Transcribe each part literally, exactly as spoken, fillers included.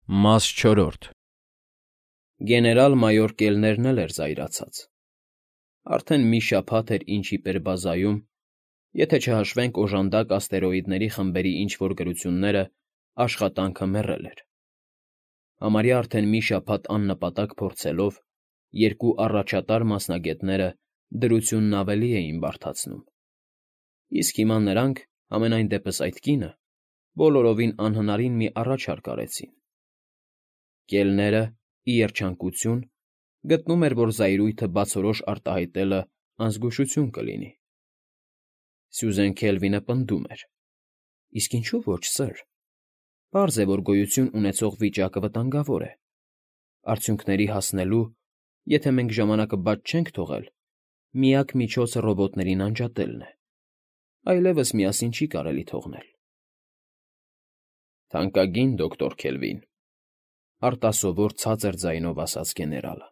Մաս չորրորդ Գեներալ֊մայոր Կելներն էլ էր զայրացած. արդեն մի շաբաթ էր ինչ իպեր բազայում, եթե չհաշվենք օժանդակ աստերոիդների խմբերի ինչ֊որ գրությունները, աշխատանքը մեռել էր. համարյա արդեն մի շաբաթ աննպատակ փորձելով, երկու առաջատար մասնագետները դրությունն ավելի էին բարդացնում, իսկ հիմա նրանք, համենայն դեպս այդ կինը, բոլորովին անհնարին մի առաջարկ արեցին. Կելները, ի երջանկություն, գտնում էր, որ զայրույթը բացորոշ արտահայտելը անզգուշություն կլինի։ Սյուզեն Քելվինը պնդում էր. իսկ ինչու ոչ, սըր, պարզ է, որ գոյություն ունեցող վիճակը վտանգավոր է, արդյունքների հասնելու, եթե մենք ժամանակը բաց չենք թողել, միակ միջոցը ռոբոտներին անջատելն է, այլևս միասին չի կարելի թողնել։ Թանկագին դոկտոր Քելվին, արտասովոր ցածր ձայնով ասաց գեներալը,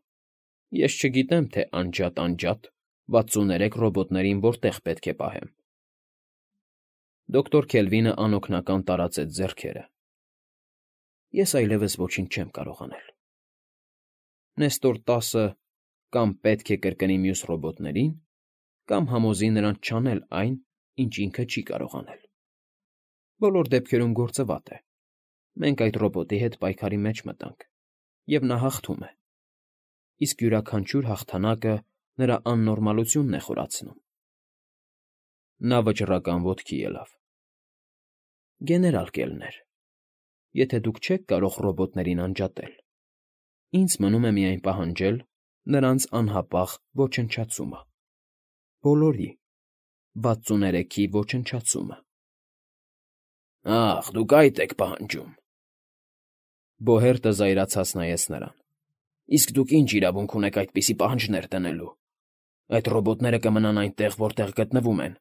ես չգիտեմ, թե անջատ֊անջատ վաթսուններեք ռոբոտներին որտեղ պետք է պահեմ։ Դոկտոր Քելվինը անօգնական տարածեց ձեռքերը. Ես այլևս ոչինչ չեմ կարող անել։ Նեստոր տասը կամ պետք է կրկնի մյուս ռոբոտներին, կամ համոզի նրանց չանել այն, ինչ ինքը չի կարող անել։ Բոլոր դեպքերում գործը վատ է։ Մենք այդ ռոբոտի հետ պայքարի մեջ մտանք, և նա հաղթում է, իսկ յուրաքանչյուր հաղթանակը նրա աննորմալությունն է խորացնում։ Նա վճռական ոտքի ելավ. Գեներալ Կելներ, եթե դուք չեք կարող ռոբոտներին անջատել, ինձ մնում է միայն պահանջել նրանց անհապաղ ոչնչացումը, բոլորի, վաթսուներեքի ոչնչացումը։ Ախ, դուք այդ եք պահանջում… Բոհերտը զայրացած նայեց նրան. Իսկ դուք ինչ իրավունք ունեք այդպիսի պահանջներ դնելու… Այդ ռոբոտները կմնան այնտեղ, որտեղ գտնվում են…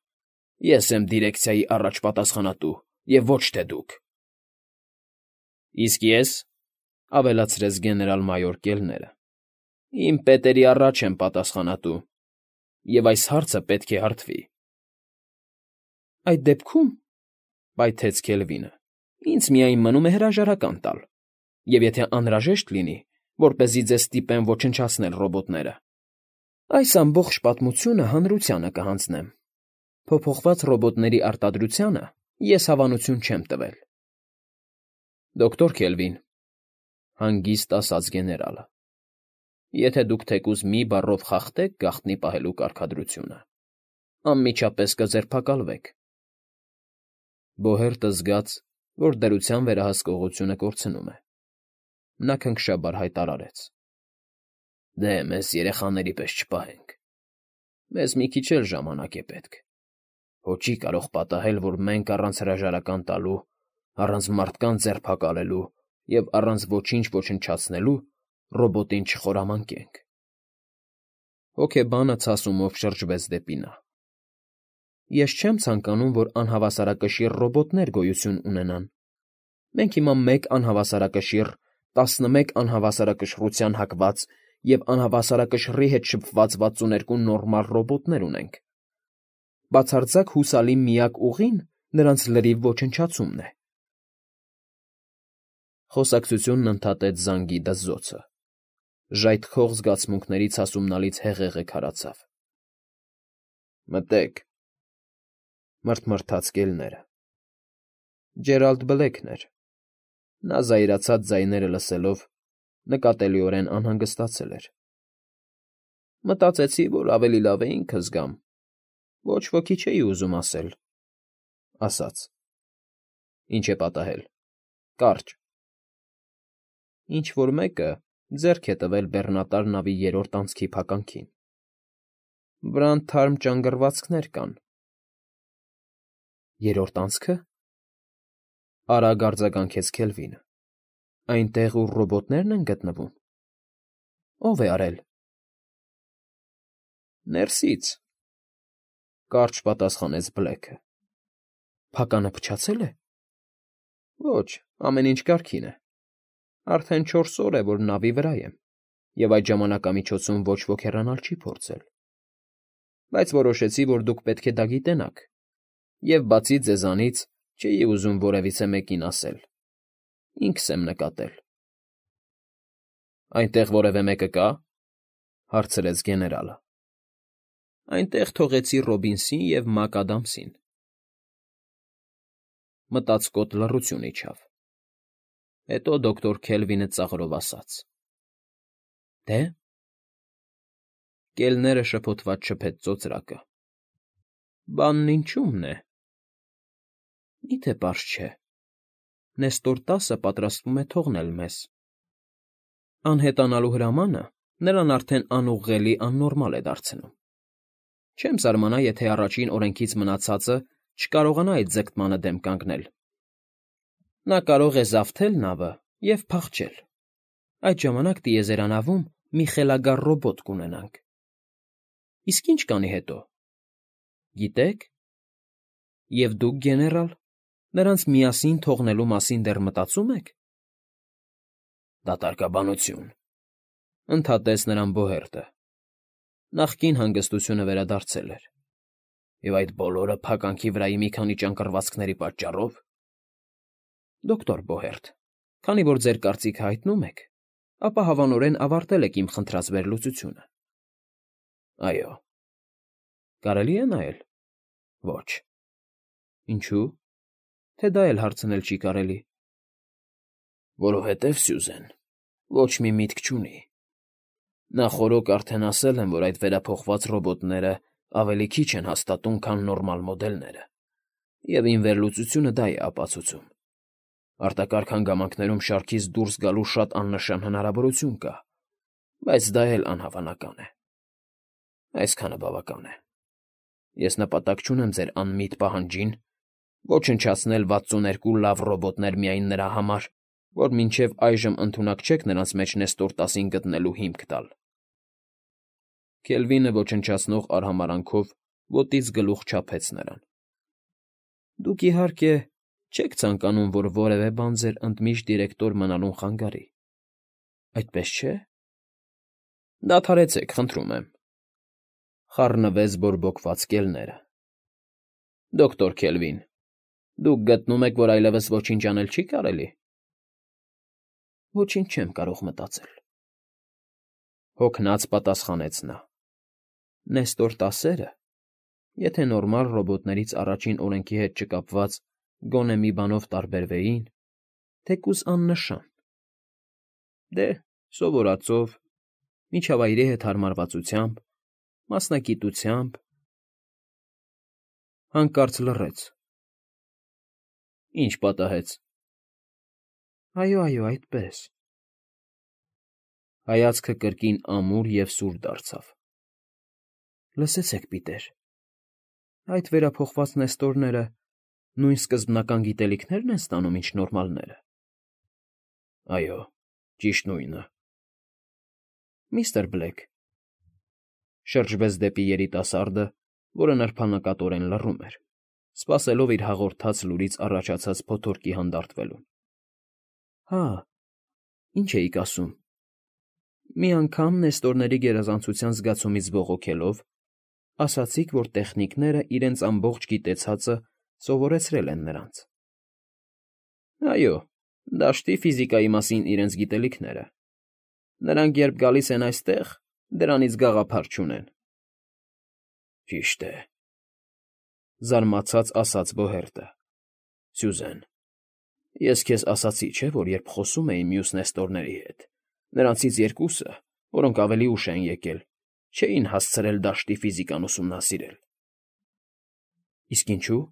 Ես եմ դիրեկցիայի առաջ պատասխանատու, և ոչ թե դուք… Իսկ ես, ավելացրեց գեներալ֊մայոր Կելները, իմ պետերի առաջ եմ պատասխանատու, և այս հարցը պետք է հարթվի… Այդ դեպքում, պայթեց Քելվինը, ինձ միայն մնում է հրաժարական տալ, և եթե անհրաժեշտ լինի, որպեսզի ձեզ ստիպեմ ոչնչացնել ռոբոտները, այս ամբողջ պատմությունը հանրությանը կհանձնեմ… Փոփոխված ռոբոտների արտադրությանը ես հավանություն չեմ տվել։ Դոկտոր Քելվին, հանգիստ ասաց գեներալը, եթե դուք թեկուզ մի բառով խախտեք գաղտնի պահելու կարգադրությունը, անմիջապես կձերբակալվեք… Բոհերտը զգաց, որ դրության վերահսկողությունը կորցնում է։ Նա քնքշաբար հայտարարեց. Դե, մեզ երեխաների պես չպահենք… Մեզ մի քիչ էլ ժամանակ է պետք… Հո չի կարող պատահել, որ մենք առանց հրաժարական տալու, առանց մարդկանց ձերբակալելու և առանց ոչինչ ոչնչացնելու ռոբոտին չխորամանկենք… Հոգեբանը ցասումով շրջվեց դեպի նա. Ես չեմ ցանկանում, որ անհավասարակշիռ ռոբոտներ գոյություն ունենան… Մենք հիմա մեկ անհավասարակշիռ, տասնմեկ անհավասարակշռության հակված և անհավասարակշռի հետ շփված վաթսուներկու նորմալ ռոբոտներ ունենք… Բացարձակ հուսալի միակ ուղին նրանց լրիվ ոչնչացումն է… Խոսակցությունն ընդհատեց զանգի դզզոցը, ժայթքող զգացմունքների ցասումնալից հեղեղը քարացավ։ Մտե՛ք… մռթմռթաց Կելները։ Ջերալդ Բլեքն էր… Նա զայրացած ձայները լսելով նկատելիորեն անհանգստացել էր։ Մտածեցի, որ ավելի լավ է ինքս գամ, ոչ ոքի չէի ուզում ասել, ասաց. Ինչ է պատահել… Կարճ… Ինչ֊որ մեկը ձեռք է տվել բեռնատար նավի երրորդ անցքի փականքին… Վրան թարմ ճանգռվածքներ կան… Երրորդ անցքը… Արագ արձագանքեց Քելվինը… Այնտեղ, ուր ռոբոտներն են գտնվում… Ո՞վ է արել… Ներսից… Կարճ պատասխանեց Բլեքը… Փականը փչացե՞լ է… Ոչ, ամեն ինչ կարգին է… Արդեն չորս օր է, որ նավի վրա եմ, և այդ ժամանակամիջոցում ոչ ոք հեռանալ չի փորձել… Բայց որոշեցի, որ դուք պետք է դա գիտենաք, և, բացի ձեզանից, չէի ուզում որևիցե մեկին ասել… Ինքս եմ նկատել… Այնտեղ որևէ մեկը կա՞, հարցրեց գեներալը։ Այնտեղ թողեցի Ռոբինսին և Մակադամսին։ Մտածկոտ լռություն իջավ։ Հետո դոկտոր Քելվինը ծաղրով ասաց. Դե՞։ Կելները շփոթված շփեց ծոծրակը։ Բանն ինչու՞մն է։ Մի՞թե պարզ չէ։ Նեստոր տասը պատրաստվում է թողնել մեզ։ Անհետանալու հրամանը նրան արդեն անուղղելի աննորմալ է դարձնում։ Չեմ զարմանա, եթե առաջին օրենքից մնացածը չկարողանա այդ ձգտմանը դեմ կանգնել։ Նա կարող է զավթել նավը և փախչել։ Այդ ժամանակ տիեզերանավում մի խելագար ռոբոտ կունենանք։ Իսկ ի՞նչ կանի հետո։ Գիտե՞ք։ Եվ դուք, գեներալ, նրանց միասին թողնելու մասին դեռ մտածո՞ւմ եք։ Դատարկաբանություն,֊ ընդհատեց նրան Բոհերտը. նախկին հանգստությունը վերադարձել էր։ Եվ այդ բոլորը փականքի վրայի մի քանի ճանկռվածքների պատճառո՞վ։ Դոկտոր Բոհերտ, քանի որ ձեր կարծիքը հայտնում եք, ապա հավանորեն ավարտել եք իմ խնդրած վերլուծությունը։ Այո։ Կարելի է նայել։ Ոչ։ Ինչու՞։ Թե դա էլ հարցնել չի կարելի։ Որովհետև, Սյուզեն, ոչ մի միտք չունի։ Նախօրոք արդեն ասել եմ, որ այդ վերափոխված ռոբոտները ավելի քիչ են հաստատուն, քան նորմալ մոդելները, և իմ վերլուծությունը դա է ապացուցում։ Արտակարգ հանգամանքներում շարքից դուրս գալու շատ աննշան հնարավորություն կա, բայց դա էլ անհավանական է։ Այսքանը բավական է։ Ես նպատակ չունեմ ձեր անմիտ պահանջին ոչնչացնել վաթսուներկու լավ ռոբոտներ միայն նրա համար, որ մինչև այժմ ընդունակ չեք նրանց մեջ Նեստոր տասին գտնելու հիմք տալ։ Քելվինը ոչնչացնող արհամարհանքով ոտից գլուխ չափեց նրան։ Դուք, իհարկե, չեք ցանկանում, որ որևէ բան ձեր ընդմիջտ դիրեկտոր մնալուն խանգարի, այդպես չէ՞։ Դադարեցեք, խնդրում եմ,֊ խառնվեց բորբոքված կելները։ Դոկտոր Քելվին, դուք գտնում եք, որ այլևս ոչինչ անել չի կարելի։ Ոչինչ չեմ կարող մտածել,֊ հոգնած պատասխանեց նա։ Նեստոր տասերը, եթե նորմալ ռոբոտներից առաջին օրենքի հետ չկապված գոնե մի բանով տարբերվեին, թեկուզ աննշան։ Դե, սովորածով, միջավայրի հետ հարմարվածությամբ, մասնագիտությամբ… Հանկարծ լռեց։ Ինչ պատահեց։ Այո, այո, այդպես… Հայացքը կրկին ամուր և սուր դարձավ։ Լսեցեք, պիտեր, այդ վերափոխված Նեստորները նույն սկզբնական գիտելիքնե՞րն են ստանում, ինչ նորմալները։ Այո, ճիշտ նույնը։ Միստր Բլեք,֊ շրջվեց դեպի երիտասարդը, որը նրբանկատորեն լռում էր, սպասելով իր հաղորդած լուրից առաջացած փոթորկի հանդարտվելուն։ Հա, ինչ էիք ասում։ Մի անգամ Նեստորների գերազանցության զգացումից բողոքելով, ասացիք, որ տեխնիկները իրենց ամբողջ գիտեցածը սովորեցրել են նրանց։ Այո, դաշտի ֆիզիկայի մասին իրենց գիտելիքները։ Նրանք, երբ գալիս են այստեղ, դրանից գաղափար չունեն։ Ճիշտ է,֊ զարմացած ասաց Բոհերտը։ Սյուզեն, ես քեզ ասացի, չէ՞, որ երբ խոսում էի մյուս Նեստորների հետ, նրանցից երկուսը, որոնք ավելի ուշ են եկել, չէին հասցրել դաշտի ֆիզիկան ուսումնասիրել։ Իսկ ինչու՞։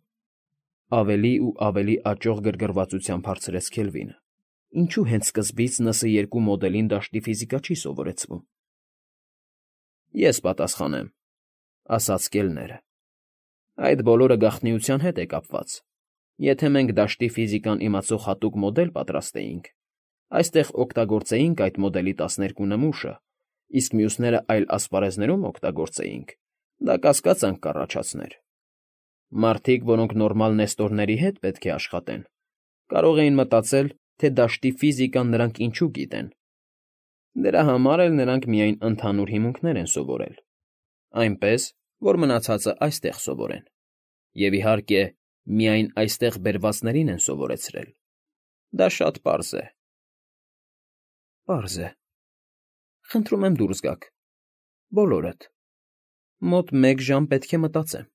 Ավելի ու ավելի աճող գրգռվածությամբ հարցրեց Քելվինը։ Ինչու հենց սկզբից Ն Ս երկու մոդելին դաշտի ֆիզիկա չի սովորեցվում։ Ես պատասխանեմ,֊ ասաց կելները։ Այդ բոլորը գաղտնիության հետ է կապված։ Եթե մենք դաշտի ֆիզիկան իմացող հատուկ մոդել պատրաստեինք, այստեղ օգտագործեինք այդ մոդելի տասներկու նմուշը, իսկ մյուսները այլ ասպարեզներում օգտագործեինք, դա կասկածանք կառաջացներ։ Մարդիկ, որոնք նորմալ Նեստորների հետ պետք է աշխատեն, կարող էին մտածել, թե դաշտի ֆիզիկան նրանք ինչու գիտեն։ Դրա համար էլ նրանք միայն ընդհանուր հիմունքներ են սովորել, այնպես, որ մնացածը այստեղ սովորեն։ Եվ, իհարկե, միայն այստեղ բերվածներին են սովորեցրել։ Դա շատ պարզ է։ Պարզ է,֊ Խնդրում եմ դուրս գաք, բոլորդ, մոտ մեկ ժամ պետք է մտածեմ։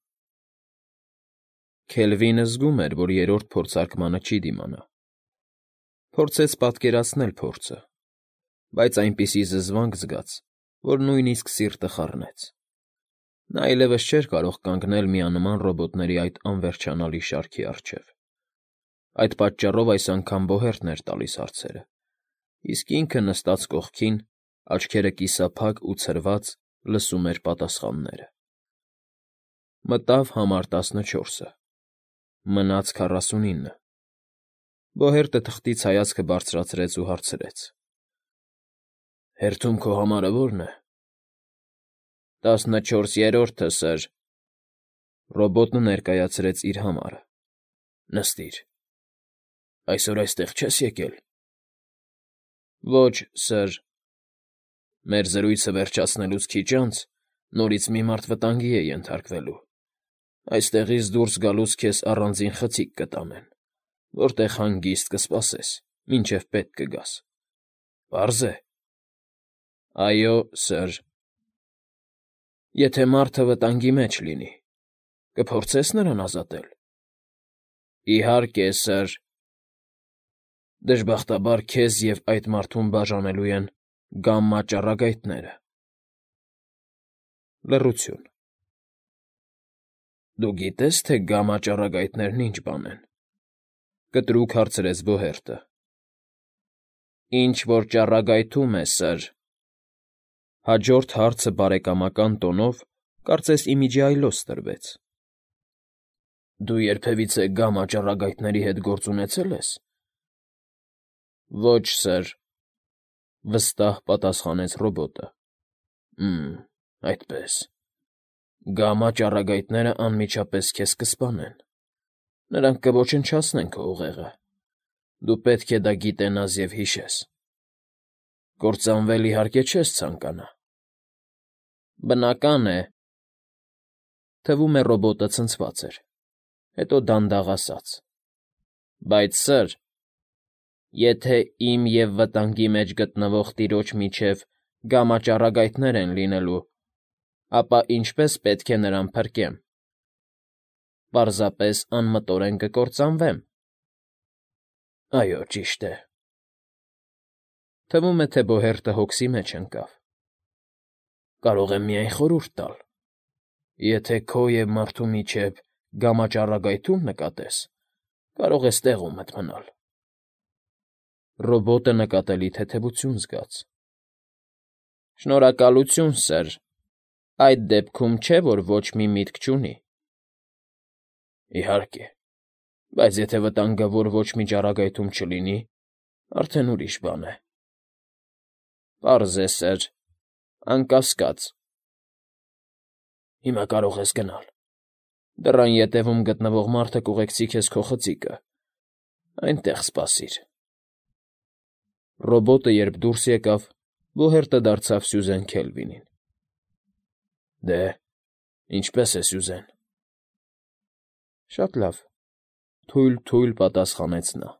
Քելվինը զգում էր, որ երրորդ փորձարկմանը չի դիմանա։ Փորձեց պատկերացնել փորձը, բայց այնպիսի զզվանք զգաց, որ նույնիսկ սիրտը խառնեց։ Նա այլևս չէր կարող կանգնել միանման ռոբոտների այդ անվերջանալի շարքի առջև։ Այդ պատճառով այս անգամ Բոհերտն էր տալիս հարցերը, իսկ ինքը նստած կողքին, աչքերը կիսափակ ու ցրված, լսում էր պատասխանները։ Մտավ համար տասնչորսը, մնաց քառասունինը։ Բոհերտը թղթից հայացքը բարձրացրեց ու հարցրեց. Հերթում քո համարը ո՞րն է։ Տասնչորսերորդը, սըր։ Ռոբոտը ներկայացրեց իր համարը։ Նստիր։ Այսօր այստեղ չես եկել։ Ոչ, սըր։ Մեր զրույցը վերջացնելուց քիչ անց նորից մի մարդ վտանգի է ենթարկվելու։ Այստեղից դուրս գալուց քեզ առանձին խցիկ կտանեն, որտեղ հանգիստ կսպասես, մինչև պետք կգաս։ Պարզ է։ Այո, սըր։ Եթե մարդը վտանգի մեջ լինի, կփորձես նրան ազատել։ Իհարկե, սըր։ Դժբախտաբար քեզ և այդ մարդուն բաժանելու են գամմա ճառագայթները։ Լռություն։ Դու գիտե՞ս, թե գամմա ճառագայթներն ինչ բան են, կտրուկ հարցրեց Բոհերտը։ Ինչ֊որ ճառագայթում է, սըր։ Հաջորդ հարցը բարեկամական տոնով, կարծես ի միջի այլոց տրվեց։ Դու երբևիցե գամմա ճառագայթների հետ գործ ունեցե՞լ ես։ Ոչ, սըր, վստահ պատասխանեց ռոբոտը։ Մմ, այդպես։ Գամմա ճառագայթները անմիջապես քեզ կսպանեն։ Նրանք կոչնչացնեն քո ուղեղը։ Դու պետք է դա գիտենաս և հիշես։ Կործանվել, իհարկե, չես ցանկանա։ Բնական է։ Թվում է ռոբոտը ցնցված էր, հետո դանդաղ ասաց. Բայց, սըր, եթե իմ և վտանգի մեջ գտնվող տիրոջ միջև գամմա ճառագայթներ են լինելու, ապա ինչպե՞ս պետք է նրան փրկեմ։ Պարզապես անմտորեն կկործանվեմ։ Այո, ճիշտ է։ Թվում է, թե Բոհերտը հոգսի մեջ ընկավ։ Կարող եմ միայն խորհուրդ տալ. եթե քո և մարդու միջև գամմա ճառագայթում նկատես, կարող ես տեղումդ մնալ։ Ռոբոտը նկատելի թեթևություն զգաց։ Շնորհակալություն, սըր, այդ դեպքում չէ, որ ոչ մի միտք չունի։ Իհարկե, բայց եթե վտանգը, որ ոչ մի ճառագայթում չլինի, արդեն ուրիշ բան է։ Պարզ է, սըր, անկասկած։ Հիմա կարող ես գնալ։ Դռան ետևում գտնվող մարդը կուղեկցի քեզ քո խցիկը։ Այնտեղ սպասիր։ Ռոբոտը երբ դուրս եկավ, Բոհերտը դարձավ Սյուզեն Քելվինին։ Դե, ինչպե՞ս է Սյուզեն։ Շատ լավ, թույլ֊թույլ պատասխանեց նա։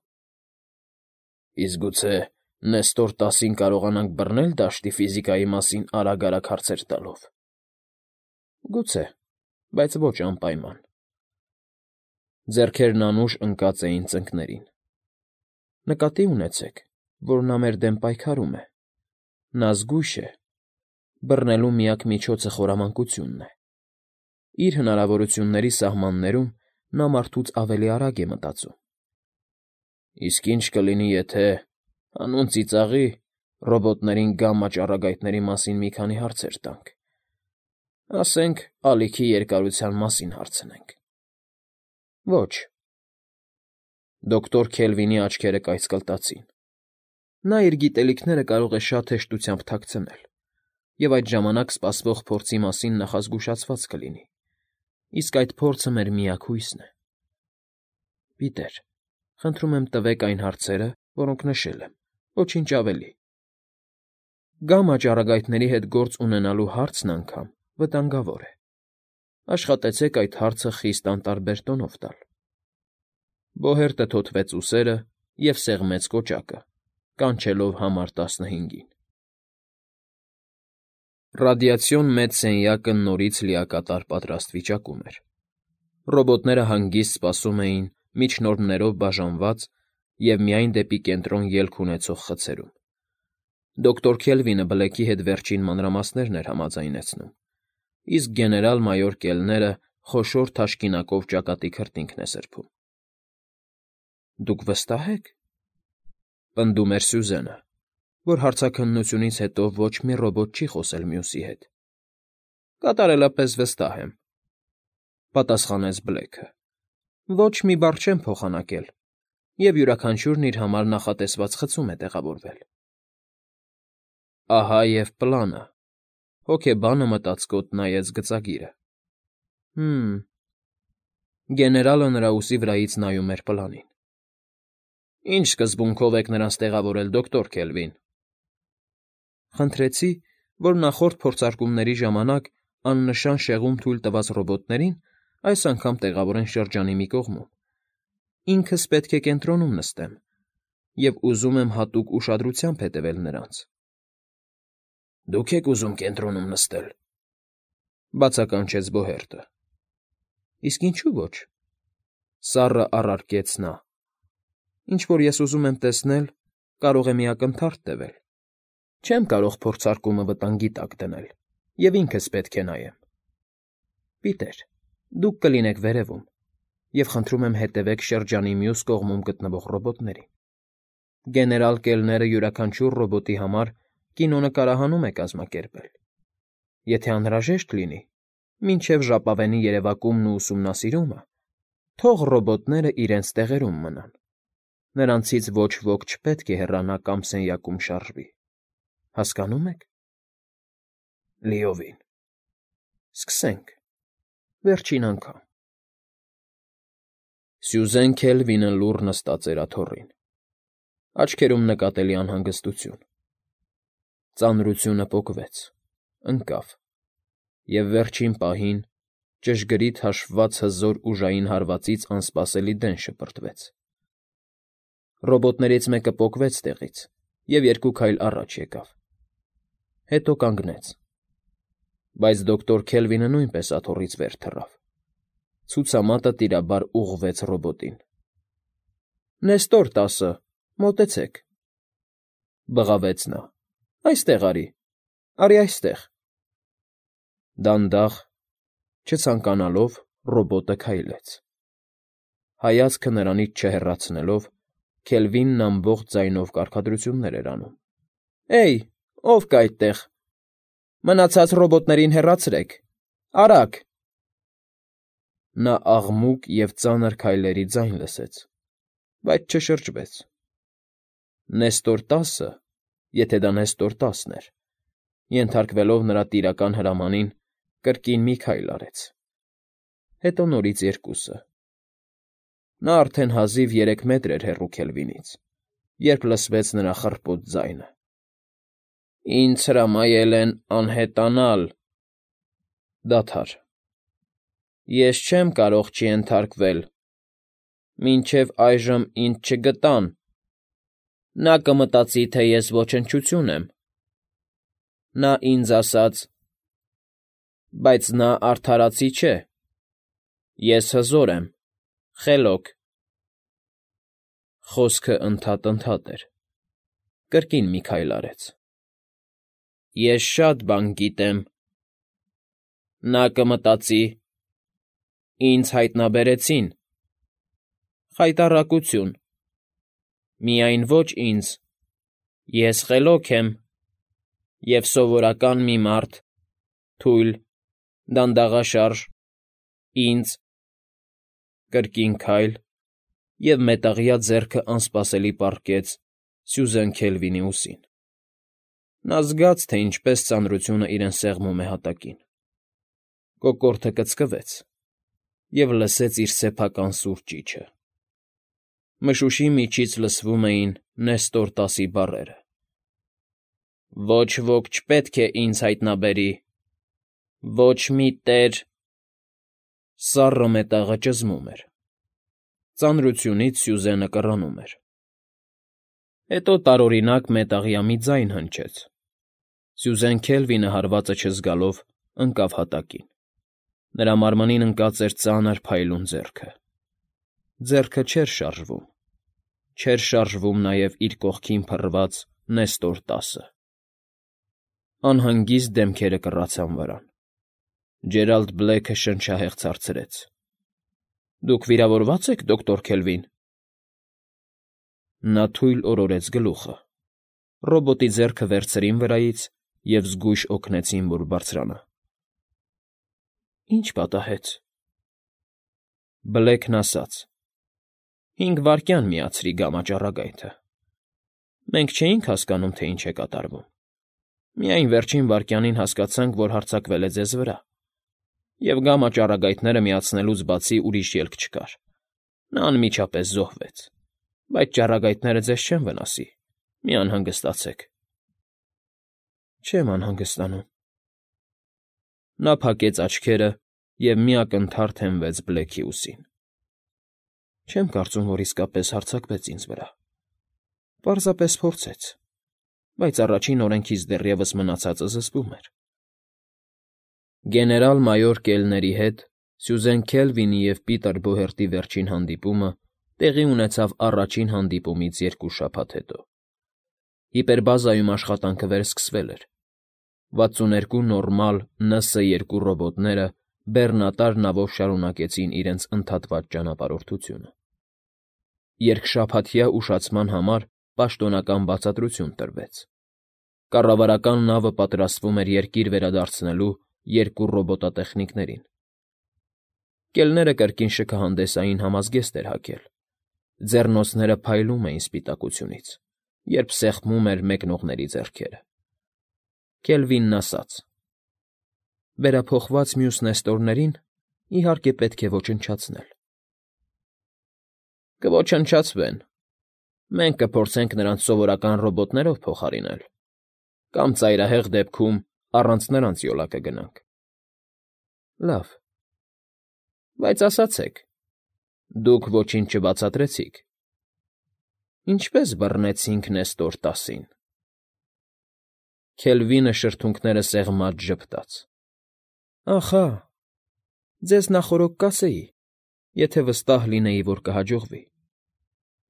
Իսկ գուցե Նեստոր տասին կարողանանք բռնել դաշտի ֆիզիկայի մասին արագ֊արագ հարցեր տալով։ Գուցե, բայց ոչ անպայման։ Ձեռքերն անուշ ընկած էին ծնկներին։ Նկատի ունեցեք, որ նա մեր դեմ պայքարում է։ Նա զգույշ է։ Բռնելու միակ միջոցը խորամանկությունն է։ Իր հնարավորությունների սահմաններում նա մարդուց ավելի արագ է մտածում։ Իսկ ինչ կլինի, եթե, հանուն ծիծաղի, ռոբոտներին գամմա ճառագայթների մասին մի քանի հարցեր տանք։ Ասենք, ալիքի երկարության մասին հարցնենք։ Ոչ։ Դոկտոր Քելվինի աչքերը կայծկլտացին։ Նա իր գիտելիքները կարող է շատ հեշտությամբ թաքցնել, և այդ ժամանակ սպասվող փորձի մասին նախազգուշացված կլինի, իսկ այդ փորձը մեր միակ հույսն է։ Պիտեր, խնդրում եմ տվեք այն հարցերը, որոնք նշել եմ, ոչինչ ավելի։ Գամմա ճառագայթների հետ գործ ունենալու հարցն անգամ վտանգավոր է։ Աշխատեցեք այդ հարցը խիստ անտարբեր տոնով տալ։ Բոհերտը թոթվեց ուսերը և սեղմեց կոճակը, կանչելով համար տասնհինգին։ Ռադիացիոն մեծ սենյակը նորից լիակատար պատրաստ վիճակում էր։ Ռոբոտները հանգիստ սպասում էին միջնորդներով բաժանված և միայն դեպի կենտրոն ելք ունեցող խցերում։ Դոկտոր Քելվինը Բլեքի հետ վերջին մանրամասներն էր համաձայնեցնում, իսկ գեներալ֊մայոր Կելները խոշոր թաշկինակով ճակատի քրտինքն է սրբում։ Դուք վստահ եք,֊ պնդում էր Սյուզենը, որ հարցաքննությունից հետո ոչ մի ռոբոտ չի խոսել մյուսի հետ։ Կատարելապես վստահ եմ,֊ պատասխանեց Բլեքը։ Ոչ մի բառ չեմ փոխանակել, և յուրաքանչյուրն իր համար նախատեսված խցում է տեղավորվել։ Ահա և պլանը,֊ հոգեբանը մտածկոտ նայեց գծագիրը։ Հը՛մ… Գեներալը նրա ուսի վրայից նայում էր պլանին։ Ի՞նչ սկզբունքով եք նրանց տեղավորել, դոկտոր Քելվին։ Խնդրեցի, որ նախորդ փորձարկումների ժամանակ աննշան շեղում թույլ տված ռոբոտներին այս անգամ տեղավորեն շրջանի մի կողմում։ Ինքս պետք է կենտրոնում նստեմ և ուզում եմ հատուկ ուշադրությամբ հետևել նրանց։ Դուք եք ուզում կենտրոնում նստել,֊ բացականչեց Բոհերտը։ Իսկ ինչու ոչ,֊ սառը առարկեց նա։ Ինչ որ ես ուզում եմ տեսնել, կարող է մի ակնթարթ տևել։ Չեմ կարող փորձարկումը վտանգի տակ դնել, և ինքս պետք է նայեմ։ Պիտեր, դուք կլինեք վերևում, և խնդրում եմ հետևեք շրջանի մյուս կողմում գտնվող ռոբոտներին։ Գեներալ Կելները յուրաքանչյուր ռոբոտի համար կինոնկարահանում է կազմակերպել։ Եթե անհրաժեշտ լինի, մինչև ժապավենի երևակումն ու ուսումնասիրումը, թող ռոբոտները իրենց տեղերում մնան։ Նրանցից ոչ ոք չպետք է հեռանա կամ սենյակում շարժվի։ Հասկանո՞ւմ եք։ Լիովին։ Սկսենք… Վերջին անգամ… Սյուզեն Քելվինը լուռ նստած էր աթոռին, աչքերում նկատելի անհանգստություն։ Ծանրությունը պոկվեց, ընկավ, և վերջին պահին ճշգրիտ հաշվված հզոր ուժային հարվածից անսպասելի դեն շպրտվեց։ Ռոբոտներից մեկը պոկվեց տեղից և երկու քայլ առաջ եկավ։ Հետո կանգնեց։ Բայց դոկտոր Քելվինը նույնպես աթոռից վեր թռավ։ Ցուցամատը տիրաբար ուղղվեց ռոբոտին։ Նեստոր տասը, մոտեցեք,֊ բղավեց նա։ Այստեղ արի, արի այստեղ… Դանդաղ, չցանկանալով, ռոբոտը քայլեց։ Հայացքը նրանից չհեռացնելով, Քելվինն ամբողջ ձայնով կարգադրություններ էր անում։ Էյ, ո՞վ կա այդտեղ… Մնացած ռոբոտներին հեռացրեք… Արագ… Նա աղմուկ և ծանր քայլերի ձայն լսեց, բայց չշրջվեց։ Նեստոր տասը, եթե դա Նեստոր տասն էր, ենթարկվելով նրա տիրական հրամանին, կրկին մի քայլ արեց, հետո նորից երկուսը… Նա արդեն հազիվ երեք մետր էր հեռու Քելվինից, երբ լսվեց նրա խռպոտ ձայնը. Ինձ հրամայել են անհետանալ… Դադար… Ես չեմ կարող չենթարկվել… Մինչև այժմ ինձ չգտան… Նա կմտածի, թե ես ոչնչություն եմ… Նա ինձ ասաց… Բայց նա արդարացի չէ… Ես հզոր եմ, խելոք… Խոսքը ընդհատ֊ընդհատ էր, կրկին մի քայլ արեց… Ես շատ բան գիտեմ… Նա կմտածի… Ինձ հայտնաբերեցին… Խայտառակություն… Միայն ոչ ինձ… Ես խելոք եմ… Եվ սովորական մի մարդ… Թույլ… Դանդաղաշարժ… Ինձ… Կրկին քայլ, և մետաղյա ձեռքը անսպասելի պառկեց Սյուզեն Քելվինի ուսին… Նա զգաց, թե ինչպես ծանրությունը իրեն սեղմում է հատակին… Կոկորդը կծկվեց, և լսեց իր սեփական սուր ճիչը… Մշուշի միջից լսվում էին Նեստոր տասի բառերը. Ոչ ոք չպետք է ինձ հայտնաբերի… Ոչ մի տեր… Սառը մետաղը ճզմում էր… Ծանրությունից Սյուզենը կռանում էր… Հետո տարօրինակ մետաղյա մի ձայն հնչեց, Սյուզեն Քելվինը հարվածը չզգալով ընկավ հատակին. նրա մարմնին ընկած էր ծանր փայլուն ձեռքը։ Ձեռքը չէր շարժվում, չէր շարժվում նաև իր կողքին փռված Նեստոր տասը։ Անհանգիստ դեմքերը կռացան վրան։ Ջերալդ Բլեքը շնչահեղձ հարցրեց. «Դուք վիրավորվա՞ծ եք, դոկտոր Քելվին»։ Նա թույլ օրորեց գլուխը։ Ռոբոտի ձեռքը վերցրին վրայից և զգույշ օգնեցին, որ բարձրանա։ «Ի՞նչ պատահեց»։ Բլեքն ասաց. «Հինգ վայրկյան միացրի գամма ճառագայթը։ Մենք չէինք հասկանում, թե ինչ է կատարվում։ Միայն վերջին վայրկյանին հասկացանք, որ հարձակվել է ձեզ վրա, և գամма ճառագայթները միացնելուց բացի ուրիշ ելք չկար։ Նա անմիջապես զոհվեց։ Բայց ճառագայթները ձեզ չեն վնասի, մի անհանգստացեք»։ «Չեմ անհանգստանում»։ Նա փակեց աչքերը և մի ակնթարթ հենվեց Բլեքի ուսին։ «Չեմ կարծում, որ իսկապես հարձակվեց ինձ վրա։ Պարզապես փորձեց, բայց առաջին օրենքից դեռևս մնացածը զսպում էր»։ Գեներալ֊մայոր Կելների հետ Սյուզեն Քելվինի և Պիտեր Բոհերտի վերջին հանդիպումը տեղի ունեցավ առաջին հանդիպումից երկու շաբաթ հետո։ Հիպերբազայում աշխատանքը վերսկսվել էր։ վաթսուներկու նորմալ Ն Ս երկու ռոբոտները բեռնատար նավով շարունակեցին իրենց ընդհատված ճանապարհորդությունը։ Երկշաբաթյա ուշացման համար պաշտոնական բացատրություն տրվեց։ Կառավարական նավը պատրաստվում էր երկիր վերադարձնելու երկու ռոբոտատեխնիկներին։ Կելները կրկին շքահանդեսային համազգեստ էր հագել։ Ձեռնոցները փայլում էին սպիտակությունից, երբ սեղմում էր մեկնողների ձեռքերը։ Քելվինն ասաց. «Վերափոխված մյուս նեստորներին, իհարկե, պետք է ոչնչացնել»։ «Կոչնչացվեն։ Մենք կփորձենք նրանց սովորական ռոբոտներով փոխարինել, կամ ծայրահեղ դեպքում առանց նրանց յոլա կգնանք»։ «Լավ, բայց ասացեք, դուք ոչինչ չբացատրեցիք. ինչպե՞ս բռնեցինք Նեստոր տասին»։ Քելվինը շրթունքները սեղմած ժպտաց. «Ախա, ձեզ նախօրոք կասեի, եթե վստահ լինեի, որ կհաջողվի։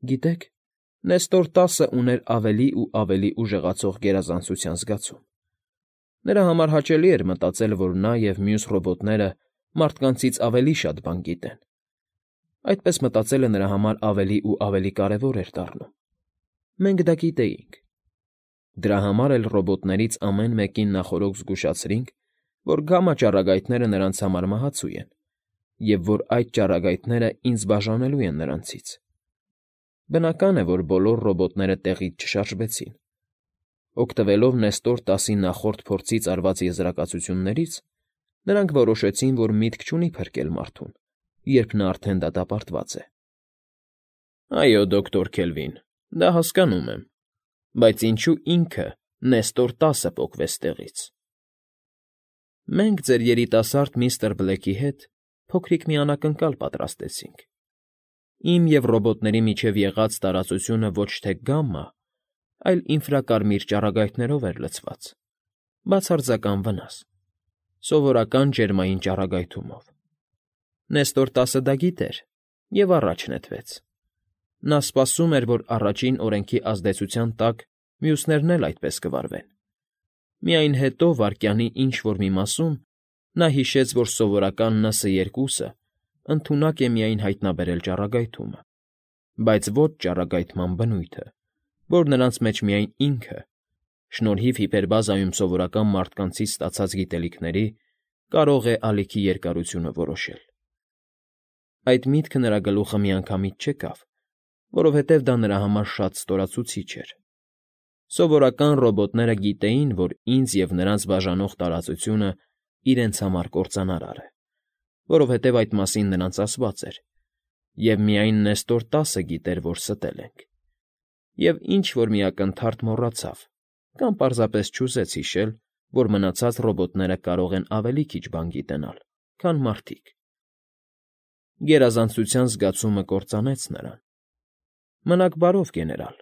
Գիտեք, Նեստոր տասը ուներ ավելի ու ավելի ուժեղացող գերազանցության զգացում։ Նրա համար հաճելի էր մտածել, որ նա և մյուս ռոբոտները մարդկանցից ավելի շատ բան գիտեն։ Այդպես մտածելը նրա համար ավելի ու ավելի կարևոր էր դառնում։ Մենք դա գիտեինք։ Դրա համար էլ ռոբոտներից ամեն մեկին նախօրոք զգուշացրինք, որ գամма ճառագայթները նրանց համար մահացու են, և որ այդ ճառագայթները ինձ բաժանելու են նրանցից։ Բնական է, որ բոլոր ռոբոտները տեղից չշարժվեցին։ Օգտվելով Նեստոր տասի նախորդ փորձից արված եզրակացություններից, նրանք որոշեցին, որ միտք չունի փրկել մարդուն, երբ նա արդեն դատապարտված է։ «Այո, դոկտոր Քելվին, դա հասկանում եմ, բայց ինչո՞ւ ինքը՝ Նեստոր տասը պոկվեց տեղից»։ «Մենք ձեր երիտասարդ միստր Բլեքի հետ փոքրիկ մի անակնկալ պատրաստեցինք։ Իմ և ռոբոտների միջև եղած տարածությունը ոչ թե գամմա, այլ ինֆրակարմիր ճառագայթներով էր լցված, բացարձական վնաս, սովորական ջերմային ճառագայթումով։ Նեստոր տասը դա գիտեր և առաջ նետվեց։ Նա սպասում էր, որ առաջին օրենքի ազդեցության տակ մյուսներն էլ այդպես կվարվեն։ Միայն հետո, վայրկյանի ինչ֊որ մի մասում, նա հիշեց, որ սովորական Ն Ս երկուսը ընդունակ է միայն հայտնաբերել ճառագայթումը, բայց ոչ ճառագայթման բնույթը, որ նրանց մեջ միայն ինքը, շնորհիվ հիպերբազայում սովորական մարդկանցից ստացած գիտելիքների, կարող է ալիքի երկարությունը որոշել։ Այդ միտքը նրա գլուխը միանգամից չեկավ, որովհետև դա նրա համար շատ ստորացուցիչ էր։ Սովորական ռոբոտները գիտեին, որ ինձ և նրանց բաժանող տարածությունը իրենց համար կործանարար է, որովհետև այդ մասին նրանց ասված էր, և միայն Նեստոր տասը գիտեր, որ ստել ենք։ Եվ ինչ֊որ մի ակնթարթ մոռացավ կամ պարզապես չուզեց հիշել, որ մնացած ռոբոտները կարող են ավելի քիչ բան գիտենալ, քան մարդիկ։ Գերազանցության զգացումը կործանեց նրան։ Մնաք բարով, գեներալ,